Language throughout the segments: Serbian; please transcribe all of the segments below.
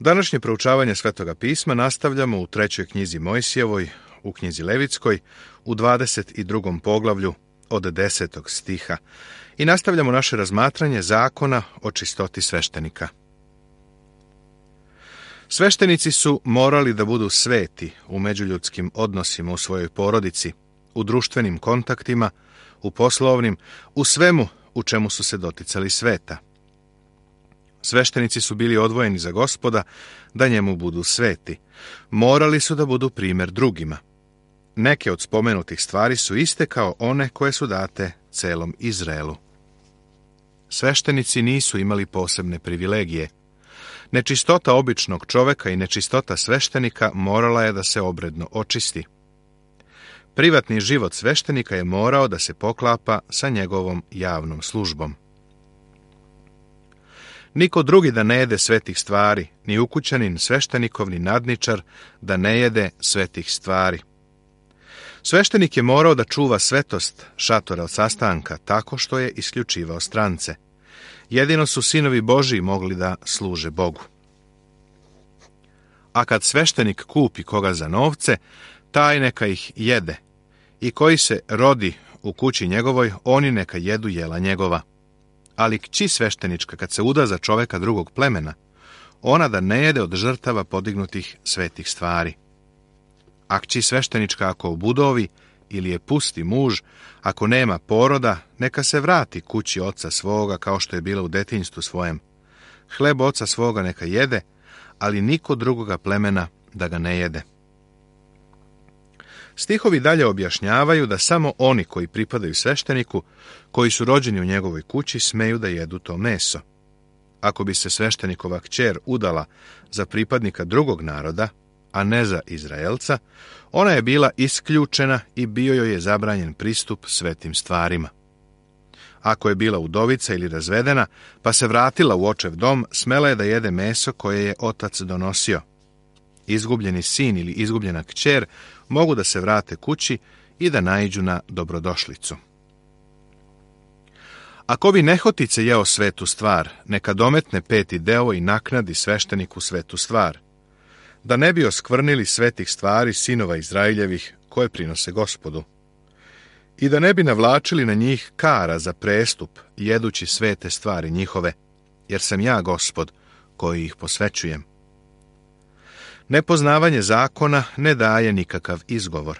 Današnje proučavanje Svetoga pisma nastavljamo u 3. knjizi Mojsijevoj, u knjizi Levitskoj, u 22. poglavlju od 10. stiha i nastavljamo naše razmatranje zakona o čistoti sveštenika. Sveštenici su morali da budu sveti u međuljudskim odnosima u svojoj porodici, u društvenim kontaktima, u poslovnim, u svemu u čemu su se doticali sveta. Sveštenici su bili odvojeni za Gospoda da njemu budu sveti. Morali su da budu primjer drugima. Neke od spomenutih stvari su iste kao one koje su date celom Izraelu. Sveštenici nisu imali posebne privilegije. Nečistota običnog čoveka i nečistota sveštenika morala je da se obredno očisti. Privatni život sveštenika je morao da se poklapa sa njegovom javnom službom. Niko drugi da ne jede svetih stvari, ni ukućanin, sveštenikov, ni nadničar, da ne jede svetih stvari. Sveštenik je morao da čuva svetost šatora od sastanka tako što je isključivao strance. Jedino su sinovi Božiji mogli da služe Bogu. A kad sveštenik kupi koga za novce, taj neka ih jede. I koji se rodi u kući njegovoj, oni neka jedu jela njegova. Ali kći sveštenička, kad se uda za čoveka drugog plemena, ona da ne jede od žrtava podignutih svetih stvari. A kći sveštenička, ako obudovi ili je pusti muž, ako nema poroda, neka se vrati kući oca svoga, kao što je bila u detinjstvu svojem. Hleb oca svoga neka jede, ali niko drugoga plemena da ga ne jede. Stihovi dalje objašnjavaju da samo oni koji pripadaju svešteniku, koji su rođeni u njegovoj kući, smeju da jedu to meso. Ako bi se sveštenikova kćer udala za pripadnika drugog naroda, a ne za Izraelca, ona je bila isključena i bio joj je zabranjen pristup svetim stvarima. Ako je bila udovica ili razvedena, pa se vratila u očev dom, smela je da jede meso koje je otac donosio. Izgubljeni sin ili izgubljena kćer mogu da se vrate kući i da naiđu na dobrodošlicu. Ako bi nehotice jeo svetu stvar, neka dometne 5. deo i naknadi svešteniku svetu stvar, da ne bi oskvrnili svetih stvari sinova Izraeljevih koje prinose Gospodu, i da ne bi navlačili na njih kara za prestup, jedući svete stvari njihove, jer sam ja Gospod koji ih posvećujem. Nepoznavanje zakona ne daje nikakav izgovor.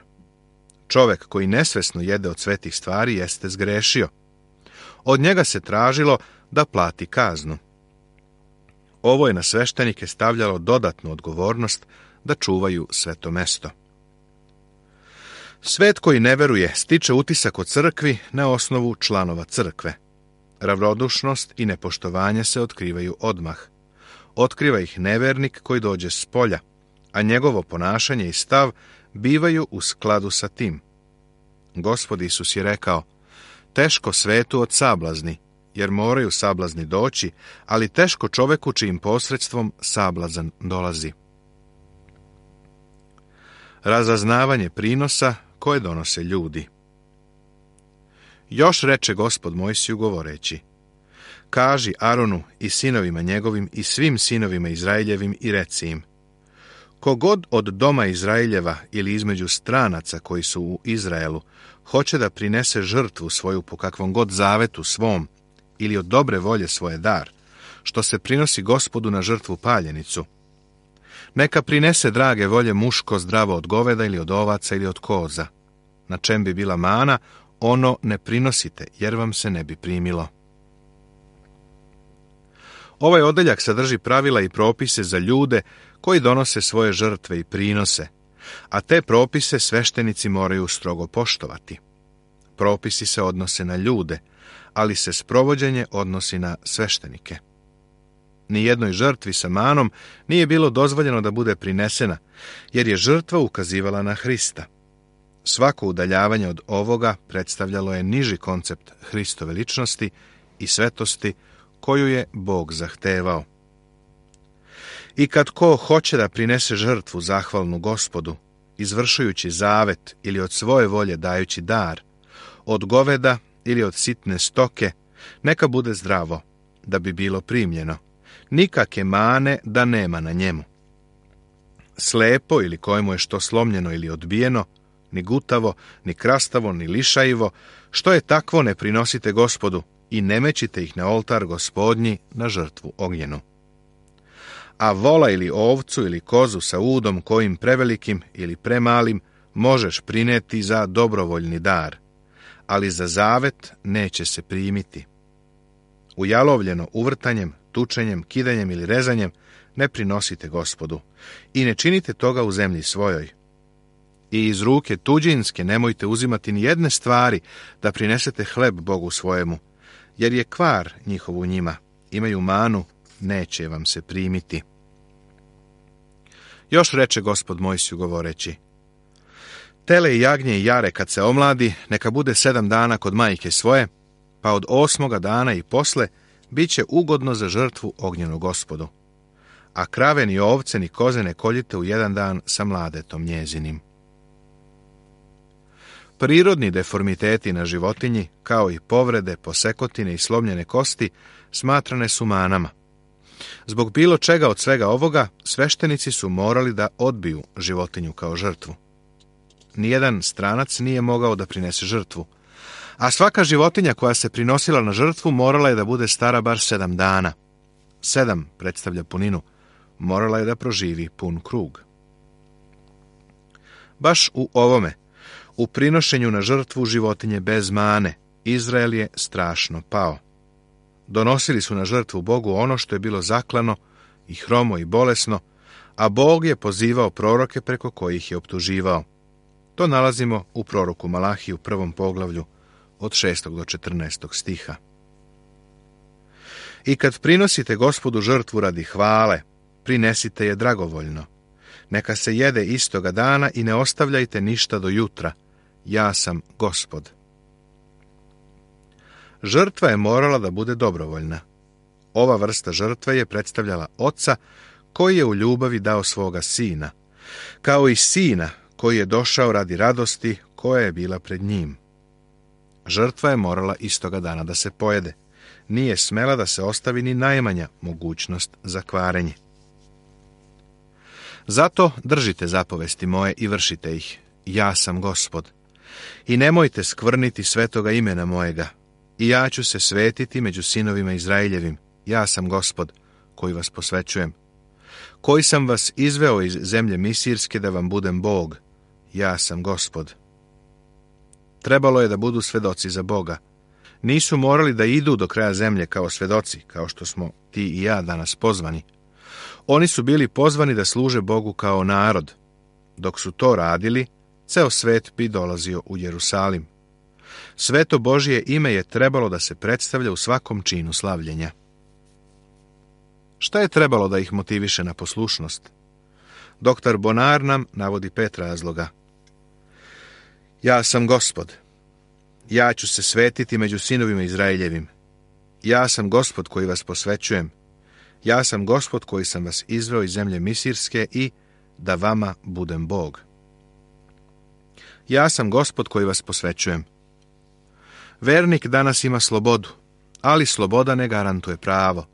Čovek koji nesvesno jede od svetih stvari jeste zgrešio. Od njega se tražilo da plati kaznu. Ovo je na sveštenike stavljalo dodatnu odgovornost da čuvaju sveto mesto. Svet koji ne veruje stiče utisak o crkvi na osnovu članova crkve. Ravnodušnost i nepoštovanje se otkrivaju odmah. Otkriva ih nevernik koji dođe s polja, a njegovo ponašanje i stav bivaju u skladu sa tim. Gospod Isus je rekao: teško svetu od sablazni, jer moraju sablazni doći, ali teško čoveku čijim posredstvom sablazan dolazi. Razaznavanje prinosa koje donose ljudi. Još reče Gospod Mojsiju govoreći: kaži Aronu i sinovima njegovim i svim sinovima Izraeljevim i reci im: kogod od doma Izraeljeva ili između stranaca koji su u Izraelu hoće da prinese žrtvu svoju po kakvom god zavetu svom ili od dobre volje svoje dar, što se prinosi Gospodu na žrtvu paljenicu, neka prinese drage volje muško zdravo od goveda ili od ovaca ili od koza. Na čem bi bila mana, ono ne prinosite, jer vam se ne bi primilo. Ovaj odeljak sadrži pravila i propise za ljude koji donose svoje žrtve i prinose, a te propise sveštenici moraju strogo poštovati. Propisi se odnose na ljude, ali se sprovođenje odnosi na sveštenike. Nijednoj žrtvi sa manom nije bilo dozvoljeno da bude prinesena, jer je žrtva ukazivala na Hrista. Svako udaljavanje od ovoga predstavljalo je niži koncept Hristove ličnosti i svetosti koju je Bog zahtevao. I kad ko hoće da prinese žrtvu zahvalnu Gospodu, izvršujući zavet ili od svoje volje dajući dar, od goveda ili od sitne stoke, neka bude zdravo, da bi bilo primljeno. nikake mane da nema na njemu. Slepo ili kojemu je što slomljeno ili odbijeno, ni gutavo, ni krastavo, ni lišajivo, što je takvo ne prinosite Gospodu i ne mećite ih na oltar Gospodnji na žrtvu ognjenu. A vola ili ovcu ili kozu sa udom kojim prevelikim ili premalim možeš prineti za dobrovoljni dar, ali za zavet neće se primiti. Ujalovljeno uvrtanjem, tučenjem, kidanjem ili rezanjem ne prinosite Gospodu i ne činite toga u zemlji svojoj. I iz ruke tuđinske nemojte uzimati ni jedne stvari da prinesete hleb Bogu svojemu, jer je kvar njihov u njima, imaju manu, neće vam se primiti. Još reče Gospod Mojsiju govoreći: tele i jagnje i jare kad se omladi, neka bude 7 dana kod majke svoje, pa od 8. dana i posle bit će ugodno za žrtvu ognjenu Gospodu. A krave ni ovce ni koze ne koljite u 1 dan sa mladetom njezinim. Prirodni deformiteti na životinji, kao i povrede, posekotine i slomljene kosti, smatrane su manama. Zbog bilo čega od svega ovoga, sveštenici su morali da odbiju životinju kao žrtvu. Nijedan stranac nije mogao da prinese žrtvu, a svaka životinja koja se prinosila na žrtvu morala je da bude stara bar 7 dana. 7 predstavlja puninu, morala je da proživi pun krug. Baš u ovome, u prinošenju na žrtvu životinje bez mane, Izrael je strašno pao. Donosili su na žrtvu Bogu ono što je bilo zaklano i hromo i bolesno, a Bog je pozivao proroke preko kojih je optuživao. To nalazimo u proroku Malahiju 1. poglavlju od 6. do 14. stiha. I kad prinosite Gospodu žrtvu radi hvale, prinesite je dragovoljno. Neka se jede istoga dana i ne ostavljajte ništa do jutra. Ja sam Gospod. Žrtva je morala da bude dobrovoljna. Ova vrsta žrtve je predstavljala oca koji je u ljubavi dao svoga sina, kao i sina koji je došao radi radosti koja je bila pred njim. Žrtva je morala istoga dana da se pojede. Nije smela da se ostavi ni najmanja mogućnost za kvarenje. Zato držite zapovesti moje i vršite ih. Ja sam Gospod. I nemojte skvrniti svetoga imena mojega. I ja ću se svetiti među sinovima Izraeljevim. Ja sam Gospod, koji vas posvećujem. Koji sam vas izveo iz zemlje Misirske da vam budem Bog. Ja sam Gospod. Trebalo je da budu svedoci za Boga. Nisu morali da idu do kraja zemlje kao svedoci, kao što smo ti i ja danas pozvani. Oni su bili pozvani da služe Bogu kao narod. Dok su to radili, ceo svet bi dolazio u Jerusalim. Sveto Božje ime je trebalo da se predstavlja u svakom činu slavljenja. Šta je trebalo da ih motiviše na poslušnost? Doktor Bonar nam navodi 5 razloga. Ja sam Gospod. Ja ću se svetiti među sinovima Izraeljevim. Ja sam Gospod koji vas posvećujem. Ja sam Gospod koji sam vas izveo iz zemlje Misirske i da vama budem Bog. Ja sam Gospod koji vas posvećujem. Vernik danas ima slobodu, ali sloboda ne garantuje pravo.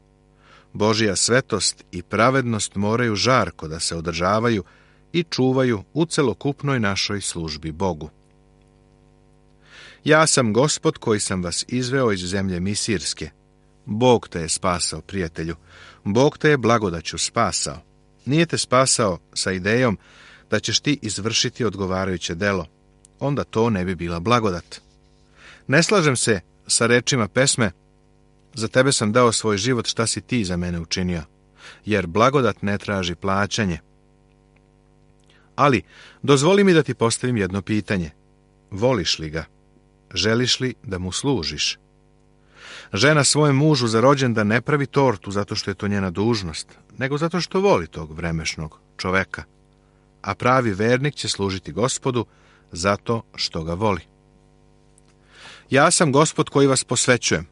Božja svetost i pravednost moraju žarko da se održavaju i čuvaju u celokupnoj našoj službi Bogu. Ja sam Gospod koji sam vas izveo iz zemlje Misirske. Bog te je spasao, prijatelju. Bog te je blagodaću spasao. Nije te spasao sa idejom da ćeš ti izvršiti odgovarajuće delo. Onda to ne bi bila blagodat. Ne slažem se sa rečima pesme: za tebe sam dao svoj život, šta si ti za mene učinio? Jer blagodat ne traži plaćanje. Ali, dozvoli mi da ti postavim jedno pitanje. Voliš li ga? Želiš li da mu služiš? Žena svojem mužu za rođendan ne pravi tortu zato što je to njena dužnost, nego zato što voli tog vremešnog čoveka. A pravi vernik će služiti Gospodu zato što ga voli. Ja sam Gospod koji vas posvećujem,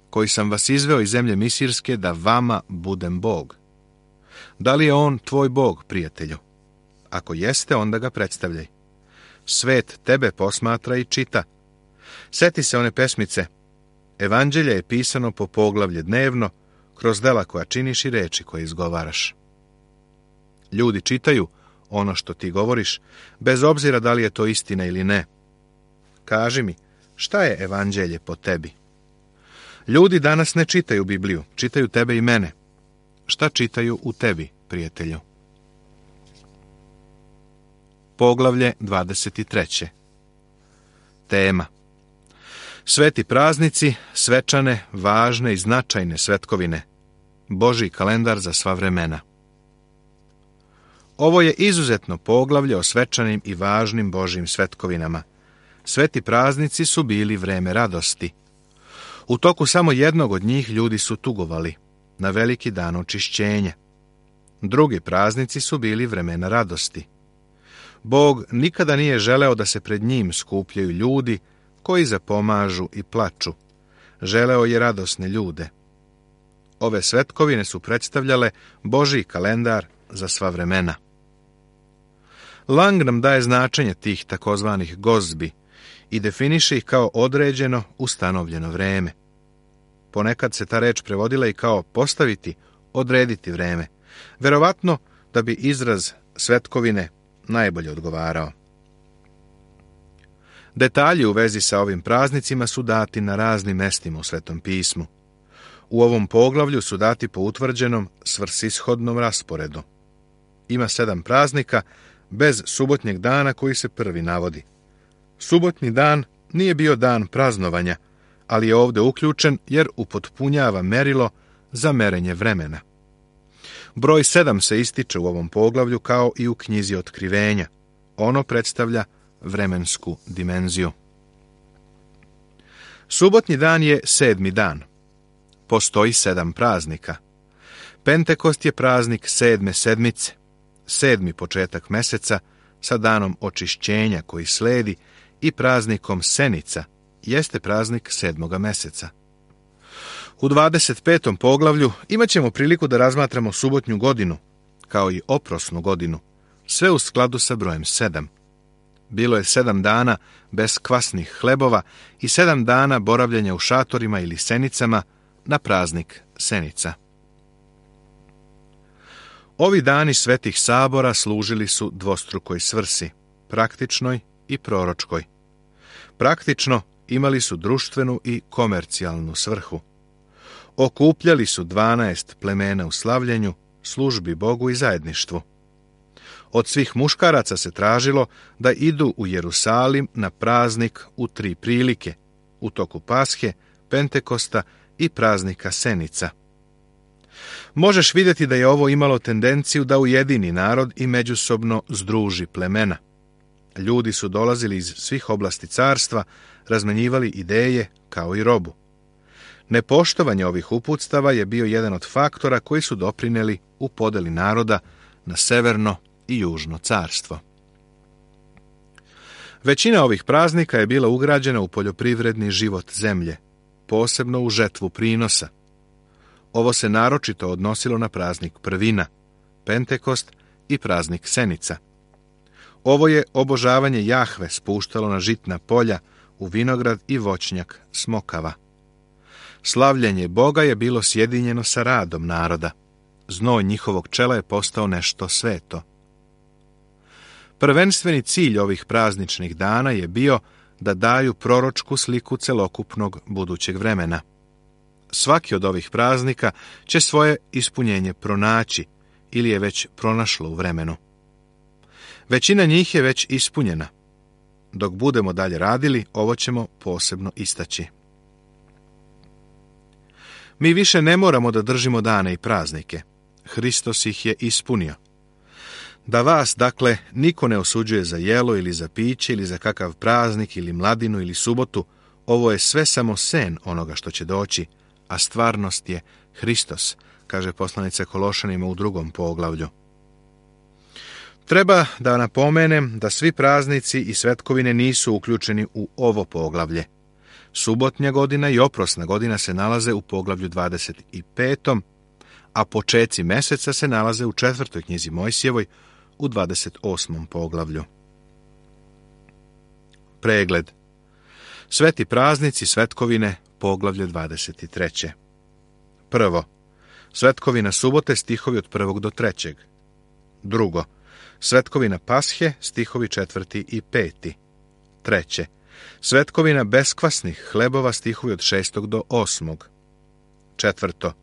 koji sam vas izveo iz zemlje Misirske da vama budem Bog. Da li je on tvoj Bog, prijatelju? Ako jeste, onda ga predstavljaj. Svet tebe posmatra i čita. Seti se one pesmice: Evanđelje je pisano po poglavlje dnevno, kroz dela koja činiš i reči koje izgovaraš. Ljudi čitaju ono što ti govoriš, bez obzira da li je to istina ili ne. Kaži mi, šta je evanđelje po tebi? Ljudi danas ne čitaju Bibliju, čitaju tebe i mene. Šta čitaju u tebi, prijatelju? Poglavlje 23. Tema: Sveti praznici, svečane, važne i značajne svetkovine. Božji kalendar za sva vremena. Ovo je izuzetno poglavlje o svečanim i važnim Božjim svetkovinama. Sveti praznici su bili vreme radosti. U toku samo jednog od njih ljudi su tugovali, na veliki dan očišćenja. Drugi praznici su bili vremena radosti. Bog nikada nije želeo da se pred njim skupljaju ljudi koji zapomažu i plaču. Želeo je radosne ljude. Ove svetkovine su predstavljale Božji kalendar za sva vremena. Lang nam daje značenje tih takozvanih gozbi i definiše ih kao određeno, ustanovljeno vreme. Ponekad se ta reč prevodila i kao postaviti, odrediti vreme, verovatno da bi izraz svetkovine najbolje odgovarao. Detalji u vezi sa ovim praznicima su dati na raznim mestima u Svetom pismu. U ovom poglavlju su dati po utvrđenom svrsishodnom rasporedu. Ima 7 praznika, bez subotnjeg dana koji se prvi navodi. Subotnji dan nije bio dan praznovanja, ali je ovdje uključen jer upotpunjava merilo za merenje vremena. Broj 7 se ističe u ovom poglavlju kao i u knjizi Otkrivenja. Ono predstavlja vremensku dimenziju. Subotnji dan je 7. dan. Postoji 7 praznika. Pentekost je praznik 7. sedmice, 7. početak meseca sa danom očišćenja koji sledi i praznikom Senica jeste praznik 7. meseca. U 25. poglavlju imat ćemo priliku da razmatramo subotnju godinu, kao i oprosnu godinu, sve u skladu sa brojem 7. Bilo je 7 dana bez kvasnih hlebova i 7 dana boravljenja u šatorima ili senicama na praznik Senica. Ovi dani svetih sabora služili su dvostrukoj svrsi, praktičnoj i proročkoj. Praktično imali su društvenu i komercijalnu svrhu. Okupljali su 12 plemena u slavljenju, službi Bogu i zajedništvu. Od svih muškaraca se tražilo da idu u Jerusalim na praznik u 3 prilike, u toku Pashe, Pentekosta i praznika Senica. Možeš vidjeti da je ovo imalo tendenciju da ujedini narod i međusobno združi plemena. Ljudi su dolazili iz svih oblasti carstva, razmenjivali ideje kao i robu. Nepoštovanje ovih uputstava je bio jedan od faktora koji su doprineli u podeli naroda na severno i južno carstvo. Većina ovih praznika je bila ugrađena u poljoprivredni život zemlje, posebno u žetvu prinosa. Ovo se naročito odnosilo na praznik prvina, Pentekost i praznik Senica. Ovo je obožavanje Jahve spuštalo na žitna polja, u vinograd i voćnjak smokava. Slavljenje Boga je bilo sjedinjeno sa radom naroda. Znoj njihovog čela je postao nešto sveto. Prvenstveni cilj ovih prazničnih dana je bio da daju proročku sliku celokupnog budućeg vremena. Svaki od ovih praznika će svoje ispunjenje pronaći ili je već pronašlo u vremenu. Većina njih je već ispunjena. Dok budemo dalje radili, ovo ćemo posebno istaći. Mi više ne moramo da držimo dane i praznike. Hristos ih je ispunio. Da vas, dakle, niko ne osuđuje za jelo ili za piće ili za kakav praznik ili mladinu ili subotu, ovo je sve samo sen onoga što će doći, a stvarnost je Hristos, kaže poslanica Kološanima u 2. poglavlju. Treba da napomenem da svi praznici i svetkovine nisu uključeni u ovo poglavlje. Subotnja godina i oprosna godina se nalaze u poglavlju 25. a počeci meseca se nalaze u 4. knjizi Mojsijevoj u 28. poglavlju. Pregled. Sveti praznici, svetkovine, poglavlje 23. Prvo, Svetkovina subote, stihovi od 1. do 3. Drugo, svetkovina pashe, stihovi 4. i 5. Treće, svetkovina beskvasnih hlebova, stihovi od 6. do 8. Četvrto,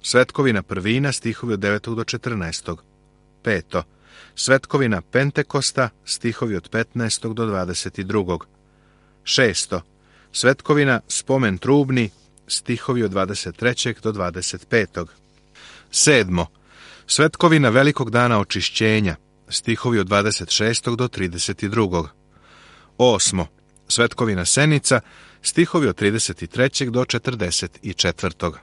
svetkovina prvina, stihovi od 9. do 14. Peto, svetkovina Pentekosta, stihovi od 15. do 22. Šesto, svetkovina spomen trubni, stihovi od 23. do 25. Sedmo, svetkovina velikog dana očišćenja, stihovi od 26. do 32. Osmo, svetkovina senica, stihovi od 33. do 44.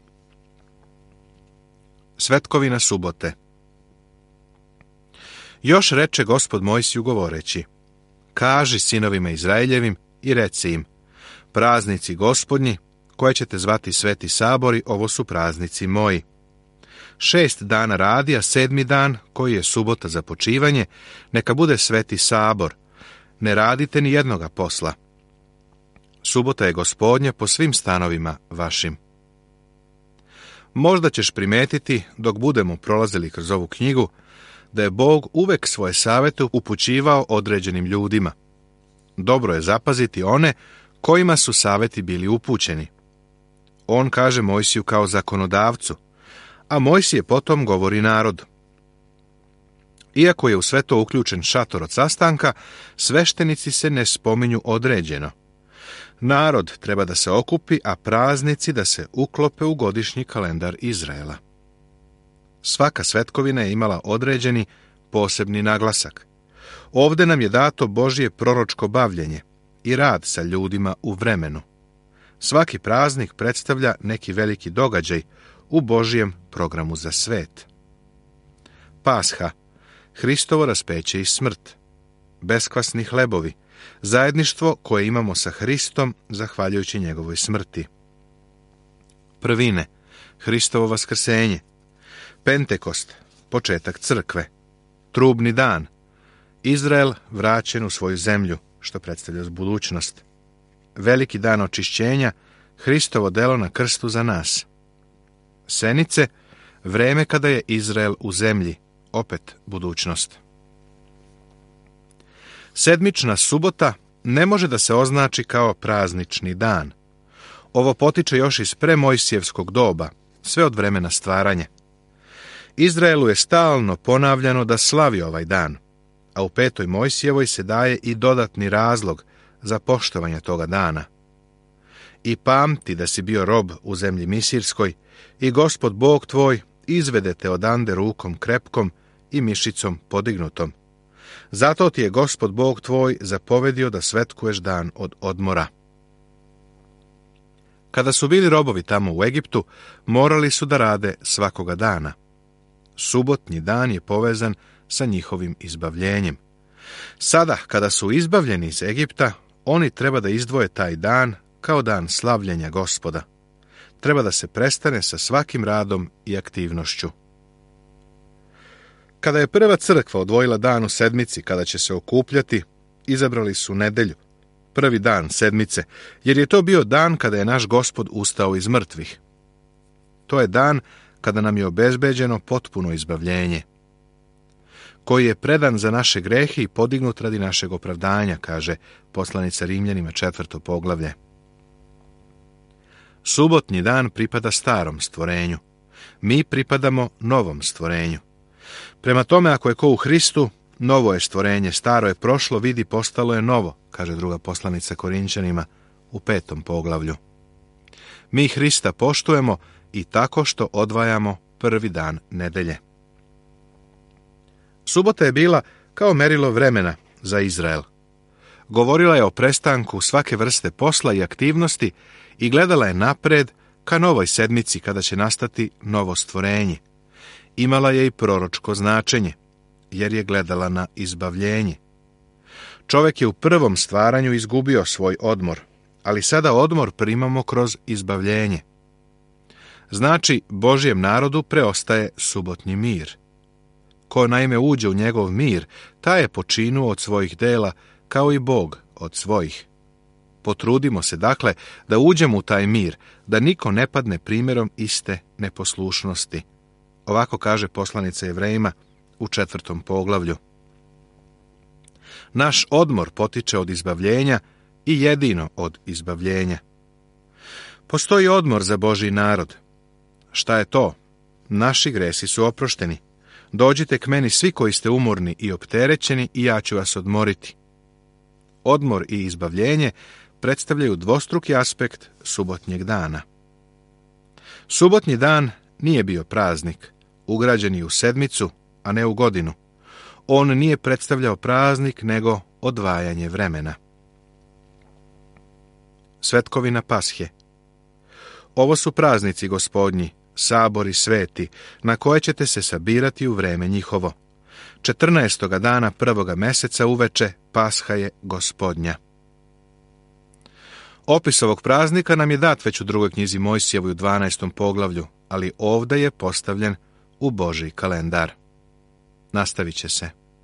Svetkovina subote. Još reče Gospod Mojsiju govoreći: kaži sinovima Izraeljevim i reci im: praznici Gospodnji, koje ćete zvati sveti sabori, ovo su praznici moji. 6 dana radi, a 7. dan, koji je subota za počivanje, neka bude sveti sabor. Ne radite ni jednoga posla. Subota je Gospodnja po svim stanovima vašim. Možda ćeš primetiti, dok budemo prolazili kroz ovu knjigu, da je Bog uvek svoje savete upućivao određenim ljudima. Dobro je zapaziti one kojima su saveti bili upućeni. On kaže Mojsiju kao zakonodavcu, a Mojsije potom govori narodu. Iako je u sve to uključen šator od sastanka, sveštenici se ne spominju određeno. Narod treba da se okupi, a praznici da se uklope u godišnji kalendar Izraela. Svaka svetkovina je imala određeni posebni naglasak. Ovde nam je dato Božje proročko bavljenje i rad sa ljudima u vremenu. Svaki praznik predstavlja neki veliki događaj u Božjem programu za svet. Pasha, Hristovo raspeće i smrt. Beskvasni hlebovi, zajedništvo koje imamo sa Hristom zahvaljujući njegovoj smrti. Prvine, Hristovo vaskrsenje. Pentekost, početak crkve. Trubni dan, Izrael vraćen u svoju zemlju, što predstavlja budućnost. Veliki dan očišćenja, Hristovo delo na krstu za nas. Senice, vreme kada je Izrael u zemlji, opet budućnost. Sedmična subota ne može da se označi kao praznični dan. Ovo potiče još iz premojsijevskog doba, sve od vremena stvaranja. Izraelu je stalno ponavljano da slavi ovaj dan, a u 5. Mojsijevoj se daje i dodatni razlog za poštovanje toga dana. I pamti da si bio rob u zemlji Misirskoj i Gospod Bog tvoj izvede te odande rukom krepkom i mišicom podignutom. Zato ti je Gospod Bog tvoj zapovedio da svetkuješ dan od odmora. Kada su bili robovi tamo u Egiptu, morali su da rade svakoga dana. Subotnji dan je povezan sa njihovim izbavljenjem. Sada, kada su izbavljeni iz Egipta, oni treba da izdvoje taj dan kao dan slavljenja Gospoda. Treba da se prestane sa svakim radom i aktivnošću. Kada je prva crkva odvojila dan u sedmici kada će se okupljati, izabrali su nedelju, prvi dan sedmice, jer je to bio dan kada je naš Gospod ustao iz mrtvih. To je dan kada nam je obezbeđeno potpuno izbavljenje, koji je predan za naše grehe i podignut radi našeg opravdanja, kaže poslanica Rimljanima 4. poglavlje. Subotnji dan pripada starom stvorenju. Mi pripadamo novom stvorenju. Prema tome, ako je ko u Hristu, novo je stvorenje, staro je prošlo, vidi, postalo je novo, kaže druga poslanica Korinćanima u 5. poglavlju. Mi Hrista poštujemo i tako što odvajamo prvi dan nedelje. Subota je bila kao merilo vremena za Izrael. Govorila je o prestanku svake vrste posla i aktivnosti i gledala je napred ka novoj sedmici kada će nastati novo stvorenje. Imala je i proročko značenje, jer je gledala na izbavljenje. Čovjek je u prvom stvaranju izgubio svoj odmor, ali sada odmor primamo kroz izbavljenje. Znači, Božjem narodu preostaje subotnji mir. Ko naime uđe u njegov mir, taj je počinuo od svojih dela, kao i Bog od svojih. Potrudimo se, dakle, da uđemo u taj mir, da niko ne padne primjerom iste neposlušnosti. Ovako kaže poslanica Jevrejima u 4. poglavlju. Naš odmor potiče od izbavljenja i jedino od izbavljenja. Postoji odmor za Božji narod. Šta je to? Naši gresi su oprošteni. Dođite k meni svi koji ste umorni i opterećeni i ja ću vas odmoriti. Odmor i izbavljenje predstavljaju dvostruki aspekt subotnjeg dana. Subotnji dan nije bio praznik, ugrađen je u sedmicu, a ne u godinu. On nije predstavljao praznik, nego odvajanje vremena. Svetkovina Pashe. Ovo su praznici Gospodnji, sabori sveti, na koje ćete se sabirati u vreme njihovo. 14. dana 1. meseca uveče Pasha je Gospodnja. Opis ovog praznika nam je dat već u 2. knjizi Mojsijevoj u 12. poglavlju, ali ovdje je postavljen u Božji kalendar. Nastavit će se.